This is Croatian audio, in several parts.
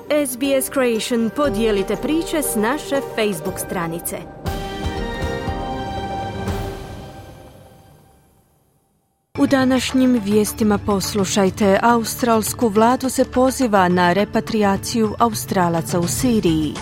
SBS Creation, podijelite priče s naše Facebook stranice. U današnjim vijestima poslušajte, australsku vladu se poziva na repatriaciju Australaca u Siriji.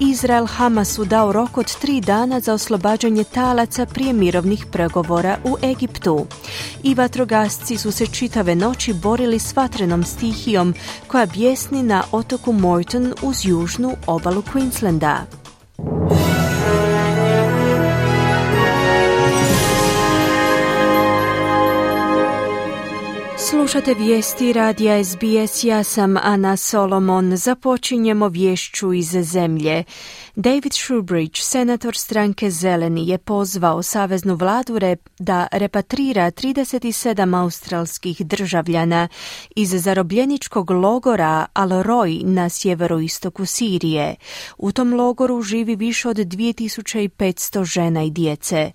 Izrael Hamasu dao rok od 3 dana za oslobađanje talaca prije mirovnih pregovora u Egiptu. I vatrogasci su se čitave noći borili s vatrenom stihijom koja bjesni na otoku Moreton uz južnu obalu Queenslanda. Slušate vijesti radija SBS, ja sam Ana Solomon. Započinjemo vješću iz zemlje. David Shoebridge, senator stranke Zeleni, je pozvao saveznu vladu da repatrira 37 australskih državljana iz zarobljeničkog logora Al-Roi na sjeveroistoku Sirije. U tom logoru živi više od 2500 žena i djece.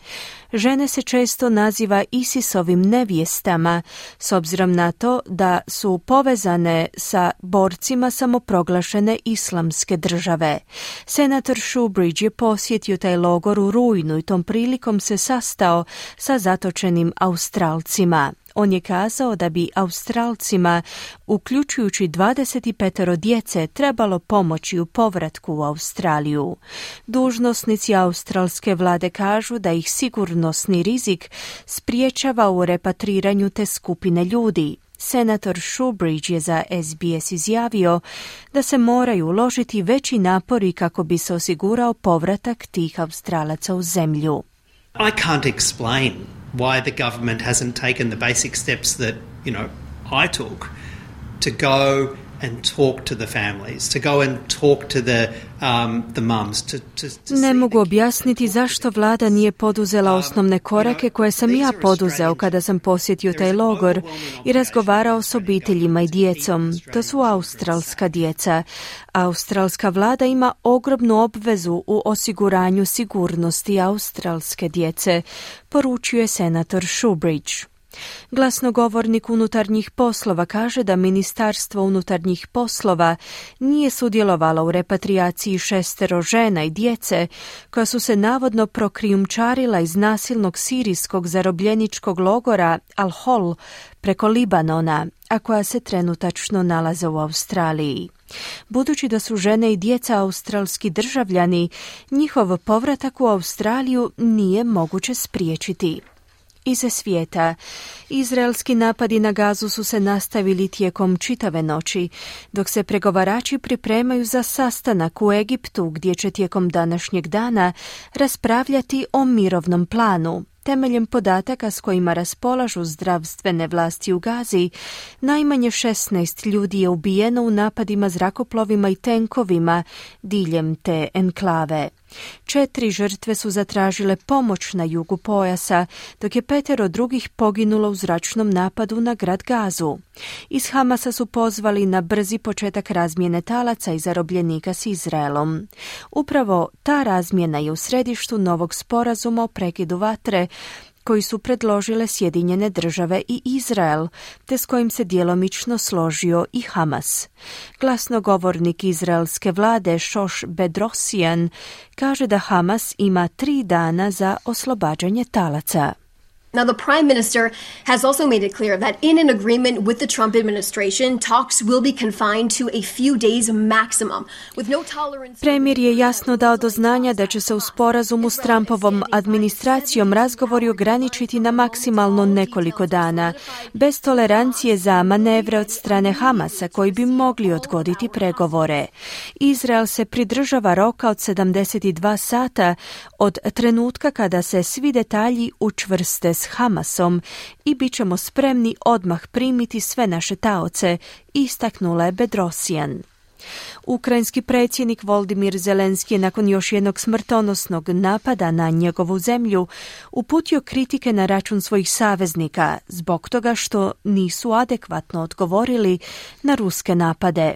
Žene se često naziva ISIS-ovim nevjestama, s obzirom na to da su povezane sa borcima samoproglašene islamske države. Senator Shoebridge je posjetio taj logor u rujnu i tom prilikom se sastao sa zatočenim Australcima. On je kazao da bi Australcima, uključujući 25 djece, trebalo pomoći u povratku u Australiju. Dužnosnici australske vlade kažu da ih sigurnosni rizik spriječava u repatriranju te skupine ljudi. Senator Shoebridge je za SBS izjavio da se moraju uložiti veći napori kako bi se osigurao povratak tih Australaca u zemlju. I can't explain why the government hasn't taken the basic steps that, I took to go and talk to the families, to go and talk to the mums. Ne mogu objasniti zašto vlada nije poduzela osnovne korake koje sam ja poduzeo kada sam posjetio taj logor i razgovarao s obiteljima i djecom. To su australska djeca. Australska vlada ima ogromnu obvezu u osiguranju sigurnosti australske djece, poručio je senator Shoebridge. Glasnogovornik unutarnjih poslova kaže da Ministarstvo unutarnjih poslova nije sudjelovalo u repatriaciji 6 žena i djece koja su se navodno prokrijumčarila iz nasilnog sirijskog zarobljeničkog logora Al-Hol preko Libanona, a koja se trenutačno nalaze u Australiji. Budući da su žene i djeca australski državljani, njihov povratak u Australiju nije moguće spriječiti. Iz svijeta. Izraelski napadi na Gazu su se nastavili tijekom čitave noći, dok se pregovarači pripremaju za sastanak u Egiptu, gdje će tijekom današnjeg dana raspravljati o mirovnom planu. Temeljem podataka s kojima raspolažu zdravstvene vlasti u Gazi, najmanje 16 ljudi je ubijeno u napadima zrakoplovima i tenkovima diljem te enklave. 4 žrtve su zatražile pomoć na jugu pojasa, dok je 5 drugih poginulo u zračnom napadu na grad Gazu. Iz Hamasa su pozvali na brzi početak razmjene talaca i zarobljenika s Izraelom. Upravo ta razmjena je u središtu novog sporazuma o prekidu vatre koji su predložile Sjedinjene države i Izrael, te s kojim se djelomično složio i Hamas. Glasnogovornik izraelske vlade Shosh Bedrosian kaže da Hamas ima 3 dana za oslobađanje talaca. Now, the Prime Minister has also made it clear that in an agreement with the Trump administration, talks will be confined to a few days maximum, with no tolerance. Premijer je jasno dao do znanja da će se u sporazumu s Trumpovom administracijom razgovori ograničiti na maksimalno nekoliko dana, bez tolerancije za manevre od strane Hamasa koji bi mogli odgoditi pregovore. Izrael se pridržava roka od 72 sata od trenutka kada se svi detalji učvrste s Hamasom i bit ćemo spremni odmah primiti sve naše taoce, istaknula je Bedrosian. Ukrajinski predsjednik Volodymyr Zelenski je nakon još jednog smrtonosnog napada na njegovu zemlju uputio kritike na račun svojih saveznika zbog toga što nisu adekvatno odgovorili na ruske napade.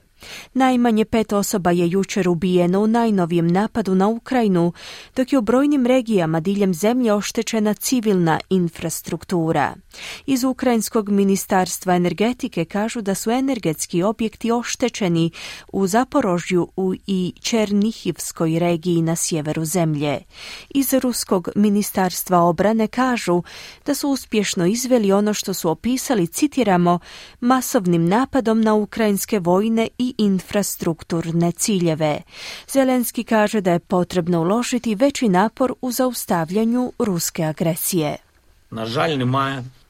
Najmanje 5 osoba je jučer ubijeno u najnovijem napadu na Ukrajinu, dok je u brojnim regijama diljem zemlje oštećena civilna infrastruktura. Iz Ukrajinskog ministarstva energetike kažu da su energetski objekti oštećeni u Zaporožju i Černihivskoj regiji na sjeveru zemlje. Iz Ruskog ministarstva obrane kažu da su uspješno izveli ono što su opisali, citiramo, masovnim napadom na ukrajinske vojne i infrastrukturne ciljeve. Zelenski kaže da je potrebno uložiti veći napor u zaustavljanju ruske agresije.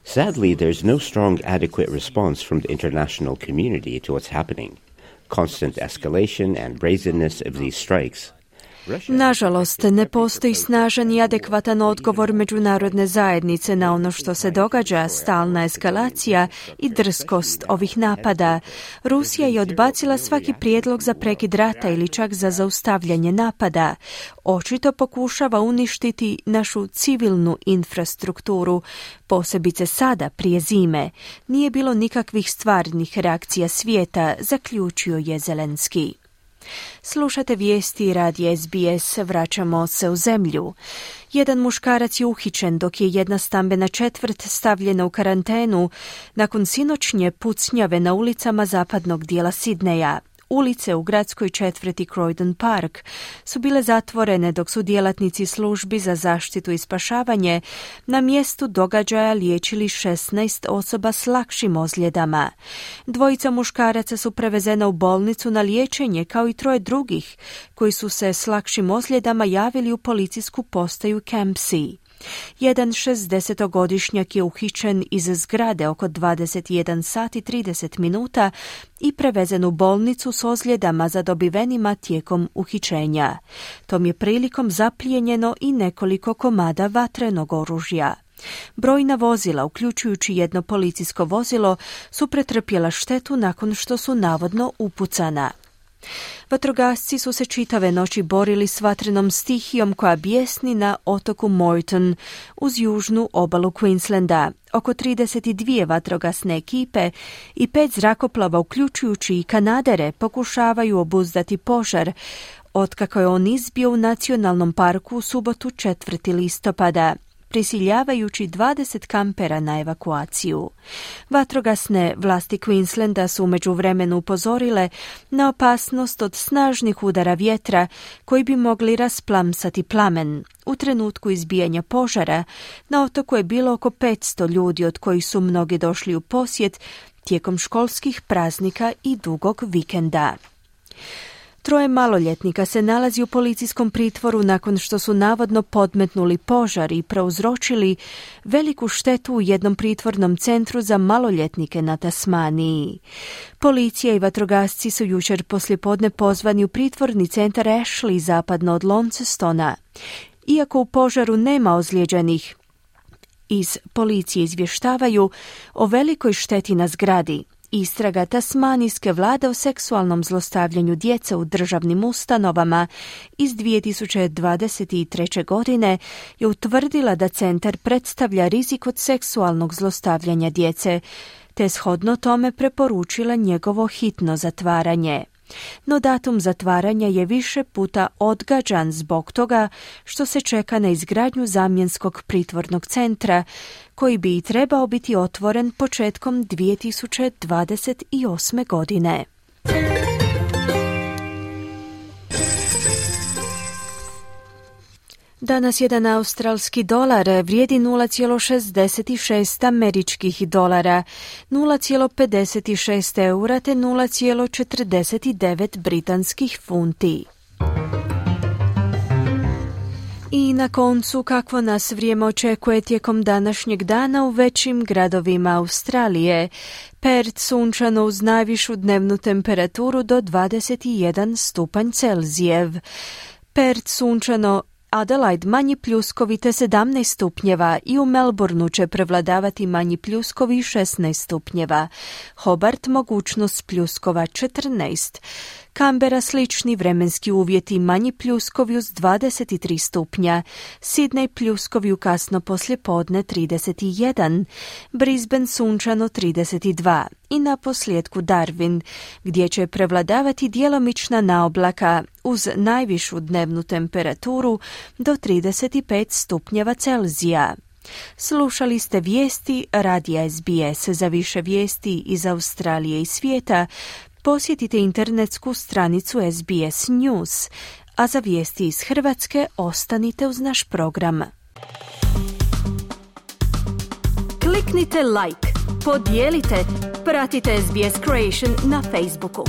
Sadly, there's no strong, adequate response from the international community to what's happening. Constant escalation and brazenness of these strikes. Nažalost, ne postoji snažan i adekvatan odgovor međunarodne zajednice na ono što se događa, stalna eskalacija i drskost ovih napada. Rusija je odbacila svaki prijedlog za prekid rata ili čak za zaustavljanje napada. Očito pokušava uništiti našu civilnu infrastrukturu, posebice sada, prije zime. Nije bilo nikakvih stvarnih reakcija svijeta, zaključio je Zelenski. Slušate vijesti radija SBS, vraćamo se u zemlju. Jedan muškarac je uhićen dok je jedna stambena četvrt stavljena u karantenu nakon sinoćnje pucnjave na ulicama zapadnog dijela Sidneja. Ulice u gradskoj četvrti Croydon Park su bile zatvorene dok su djelatnici službi za zaštitu i spašavanje na mjestu događaja liječili 16 osoba s lakšim ozljedama. 2 muškaraca su prevezena u bolnicu na liječenje, kao i 3 drugih koji su se s lakšim ozljedama javili u policijsku postaju Campsie. Jedan 60-godišnjak je uhićen iz zgrade oko 21 sat i 30 minuta i prevezen u bolnicu s ozljedama zadobivenima tijekom uhićenja. Tom je prilikom zaplijenjeno i nekoliko komada vatrenog oružja. Brojna vozila, uključujući jedno policijsko vozilo, su pretrpjela štetu nakon što su navodno upucana. Vatrogasci su se čitave noći borili s vatrenom stihijom koja bijesni na otoku Moreton uz južnu obalu Queenslanda. Oko 32 vatrogasne ekipe i 5 zrakoplova, uključujući i kanadere, pokušavaju obuzdati požar, otkako je on izbio u nacionalnom parku u subotu 4. listopada. Prisiljavajući 20 kampera na evakuaciju. Vatrogasne vlasti Queenslanda su u međuvremenu upozorile na opasnost od snažnih udara vjetra koji bi mogli rasplamsati plamen. U trenutku izbijanja požara na otoku je bilo oko 500 ljudi, od kojih su mnogi došli u posjet tijekom školskih praznika i dugog vikenda. 3 maloljetnika se nalazi u policijskom pritvoru nakon što su navodno podmetnuli požar i prouzročili veliku štetu u jednom pritvornom centru za maloljetnike na Tasmaniji. Policija i vatrogasci su jučer poslijepodne pozvani u pritvorni centar Ashley zapadno od Launcestona. Iako u požaru nema ozlijeđenih, iz policije izvještavaju o velikoj šteti na zgradi. Istraga tasmanijske vlade o seksualnom zlostavljanju djece u državnim ustanovama iz 2023. godine je utvrdila da centar predstavlja rizik od seksualnog zlostavljanja djece, te shodno tome preporučila njegovo hitno zatvaranje. No datum zatvaranja je više puta odgađan zbog toga što se čeka na izgradnju zamjenskog pritvornog centra, koji bi i trebao biti otvoren početkom 2028. godine. Danas jedan australski dolar vrijedi 0,66 američkih dolara, 0,56 eura te 0,49 britanskih funti. I na koncu, kakvo nas vrijeme očekuje tijekom današnjeg dana u većim gradovima Australije. Perth sunčano uz najvišu dnevnu temperaturu do 21 stupanj Celzijev. Perth sunčano, Adelaide manji pljuskovi te 17 stupnjeva i u Melbourneu će prevladavati manji pljuskovi 16 stupnjeva. Hobart mogućnost pljuskova 14. Canberra slični vremenski uvjeti, manji pljuskovi uz 23 stupnja, Sydney pljuskovi u kasno poslijepodne 31, Brisbane sunčano 32 i na posljedku Darwin, gdje će prevladavati djelomična naoblaka uz najvišu dnevnu temperaturu do 35 stupnjeva Celzija. Slušali ste vijesti radija SBS. Za više vijesti iz Australije i svijeta posjetite internetsku stranicu SBS News, a za vijesti iz Hrvatske ostanite uz naš program. Kliknite like, podijelite, pratite SBS Creation na Facebooku.